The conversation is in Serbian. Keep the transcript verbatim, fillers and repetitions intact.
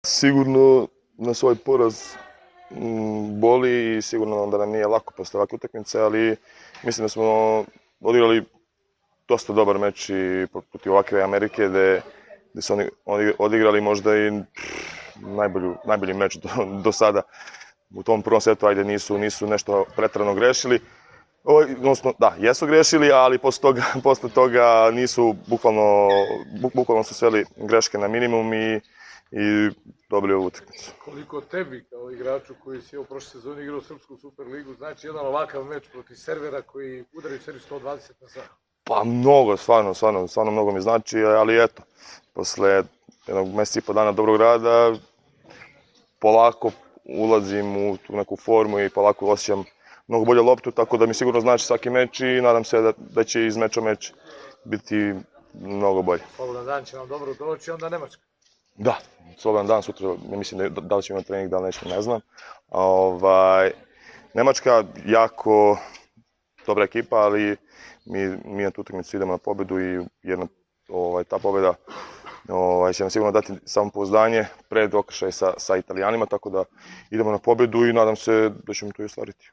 Sigurno na svoj poraz m, boli i sigurno da nam nije lako posle ovakve utakmice, ali mislim da smo odigrali dosta dobar meč i protiv ovakve Amerike gde, gde su oni, oni odigrali možda i najbolju, najbolji meč do, do sada. U tom prvom setu ajde nisu, nisu nešto pretrano grešili. O, odnosno, da, jesu grešili, ali posle toga, posle toga nisu, bukvalno, buk, bukvalno su sveli greške na minimum i, i dobili ovu utakmicu. Koliko tebi kao igraču koji si u prošle sezoni igrao Srpsku Superligu, znači jedan ovakav meč protiv servera koji udaraju seriju sto dvadeset na sat? Pa mnogo, stvarno, stvarno, stvarno mnogo mi znači, ali eto, posle jednog meseca i po dana dobrog rada, polako ulazim u tu neku formu i polako osjećam mnogo bolje loptu, tako da mi sigurno znači svaki meč i nadam se da, da će iz meča meč biti mnogo bolje. Slobodan dan će vam dobro doći, onda Nemačka. Da, slobodan dan, sutra ne mislim da, da li ćemo imati trening, da li nećemo, ne znam. Ovaj, Nemačka jako dobra ekipa, ali mi, mi na tu utakmicu idemo na pobedu i jedna, ovaj, ta pobeda ovaj, će nam sigurno dati samopouzdanje pred okršaj sa, sa Italijanima, tako da idemo na pobedu i nadam se da ćemo to i ostvariti.